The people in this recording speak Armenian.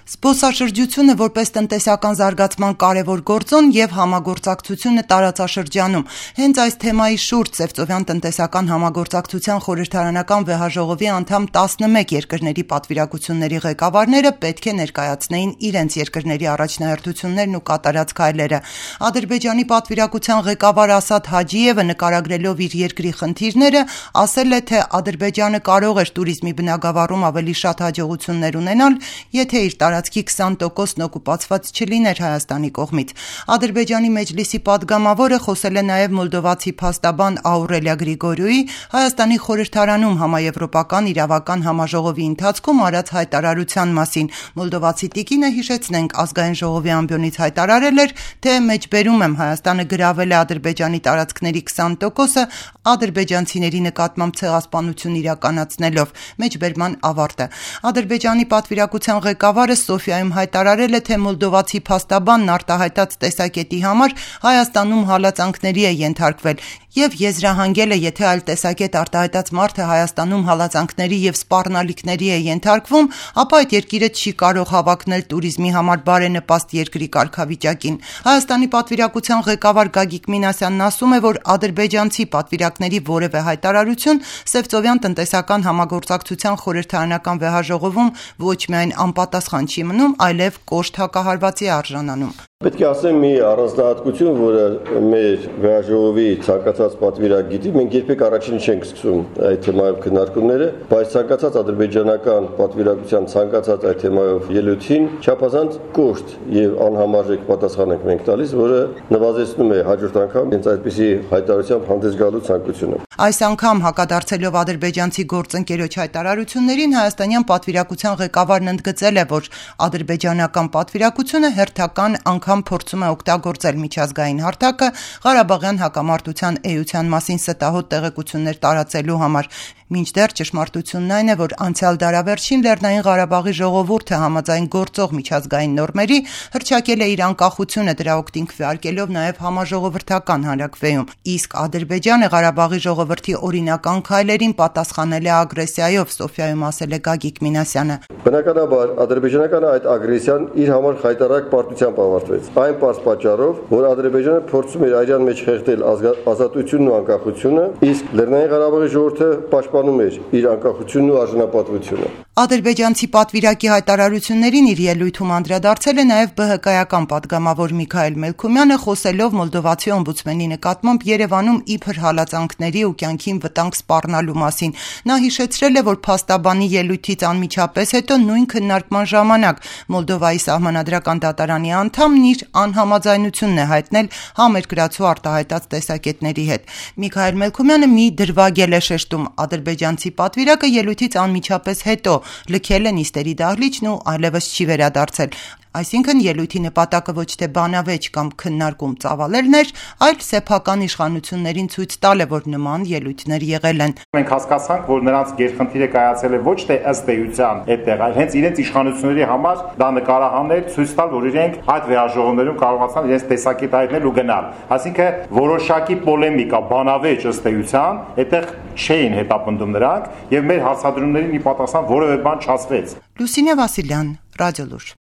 Զբոսաշրջությունը որպես տնտեսական զարգացման կարևոր գործոն եւ համագործակցությունը տարածաշրջանում։ Հենց այս թեմայի շուրջ Սևծովյան տնտեսական համագործակցության խորհրդարանական վեհաժողովի անդամ 11 երկրների պատվիրակությունների ղեկավարները պետք է ներկայացնեին իրենց երկրների առաջնահերթություններն ու կատարած քայլերը։ Ադրբեջանի պատվիրակության ղեկավար Ասադ Հաջիևը նկարագրելով իր երկրի խնդիրները, ասել է, թե Ադրբեջանը կարող էր туриզմի բնագավառում ավելի շատ հաջողություններ ունենալ, եթե իր տարածքի 20%-ն օկուպացված չլիներ Հայաստանի կողմից։ Ադրբեջանի մեջլիսի падգամավորը խոսել է նաև մոլդովացի փաստաբան Աուրելիա Գրիգորյուի Հայաստանի խորհրդարանում համաեվրոպական իրավական համաժողովի ընթացքում արած հայտարարության մասին։ Մոլդովացի տիկինը, հիշեցնենք, ազգային ժողովի ամբիոնից հայտարարել էր, թե մեջբերում եմ Հայաստանը գրավել է Ադրբեջանի տարածքների 20%-ը ադրբեջանցիների նկատմամբ ցեղասպանություն իրականացնելով։ Մեջբերման ավարտը։ Ադրբեջանի պատվիրակության ղեկավարը Սոֆիայում հայտարարել է, թե մոլդովացի փաստաբանն արտահայտած տեսակետի համար Հայաստանում հալածանքների է ենթարկվել եւ եզրահանգել է, եթե այլ տեսակետ արտահայտած մարդը Հայաստանում հալածանքների եւ սպառնալիքների է ենթարկվում, ապա այդ երկիրը չի կարող հավակնել туриզմի համար բարենպաստ երկրի կարգավիճակին։ Հայաստանի պատվիրակության ղեկավար Գագիկ Մինասյանն ասում է, որ ադրբեջանցի պատվիրակների որևէ հայտարարություն Սևծովյան տնտեսական համագործակցության խորհրդարանական վեհաժողովում ոչ միայն անպատասխան չի մնում, այլև կոշտ հակահարվածի արժանանում։ Պետք է ասեմ մի առանձնահատկություն, որը մեր վեհաժողովի ցանկացած պատվիրակ գիտի, մենք երբեք առաջին չենք սկսում այդ թեմայով քննարկումները, բայց ցանկացած ադրբեջանական պատվիրակության ցանկացած այդ թեմայով ելույթին չափազանց կոշտ եւ անհամարժեք պատասխան ենք մենք տալիս, որը նվազեցնում է հաջորդ անգամ հենց այդպիսի հայտարարությամբ հանդես գալու ցանկությունը։ Այս անգամ հակադարձելով ադրբեջանցի գործընկերոջ հայտարարություններին հայաստանյան պատվիրակության ղեկավարն ընդգծել է, որ ադրբեջանական պատվիրակությունը հերթական անգամ փորձում է օգտագործել միջազգային հարթակը Ղարաբաղյան հակամարտության էության մասին ստահոդ տեղեկություններ տարածելու համար։ Մինչդեռ ճշմարտությունն այն է, որ անցյալ դարավերջին Լեռնային Ղարաբաղի ժողովուրդը համաձայն գործող միջազգային նորմերի հռչակել է իր անկախությունը, դրա օգտին քվեարկելով նաև համաժողովրդական հանրաքվեում, իսկ Ադրբեջանը Ղարաբաղի ժողովրդի օրինական քայլերին պատասխանել է ագրեսիայով, Սոֆիայում ասել է Գագիկ Մինասյանը։ Բնականաբար ադրբեջանական այդ ագրեսիան իր համար խայտարակ պարտությամբ ավարտվեց։ Այն պարզ պատճառով, որ Ադրբեջանը փորձում էր այրան մեջ խեղդել ազատությունն ու անկախությունը, իսկ Լեռնային Ղարաբաղի ժողովուրդը պաշտպանում էր իր անկախությունն ու արժանապատվությունը։ Ադրբեջանցի պատվիրակի հայտարարություններին իր ելույթում անդրադարձել է նաև ԲՀԿ-ական падգամավոր Միքայել Մելքումյանը, խոսելով մոլդովացի օմբուդսմենի նկատմամբ Երևանում իբր հալածանքների ու կյանքին վտանգ սպառնալու մասին։ Նա հիշեցրել է, որ փաստաբանի ելույթից անմիջապես հետո նույն քննարկման ժամանակ Մոլդովայի սահմանադրական դատարանի անդամն իր անհամաձայնությունն է հայտնել համերկրացու արտահայտած տեսակետների հետ։ Միքայել Մելքումյանը մի դրվագել է շեշտում, ադրբեջանցի պատվիրակը ելույթից անմիջապես հետո լքել է նիստերի դահլիճն ու այլևս չի վերադարձել։ Այսինքն ելույթի նպատակը ոչ թե բանավեճ կամ քննարկում ծավալելն էր, այլ սեփական իշխանություններին ցույց տալ է, որ նման ելույթներ եղել են։ Մենք հասկացանք, որ նրանց գերխնդիրը կայացել է ոչ թե ըստ էության այդտեղ, այլ հենց իրենց իշխանությունների համար դա նկարահանել, ցույց տալ, որ իրենք այդ վեհաժողովներում կարողացան իրենց տեսակետը հայտնել ու գնալ։ Այսինքն որոշակի պոլեմիկա, բանավեճ ըստ էության այդտեղ չէին հետապնդում նրանք եւ մեր հարցադրումներին ի պատասխան որևէ բան չասվեց։ Լուսինե Վասիլյան, Ռադիոլուր։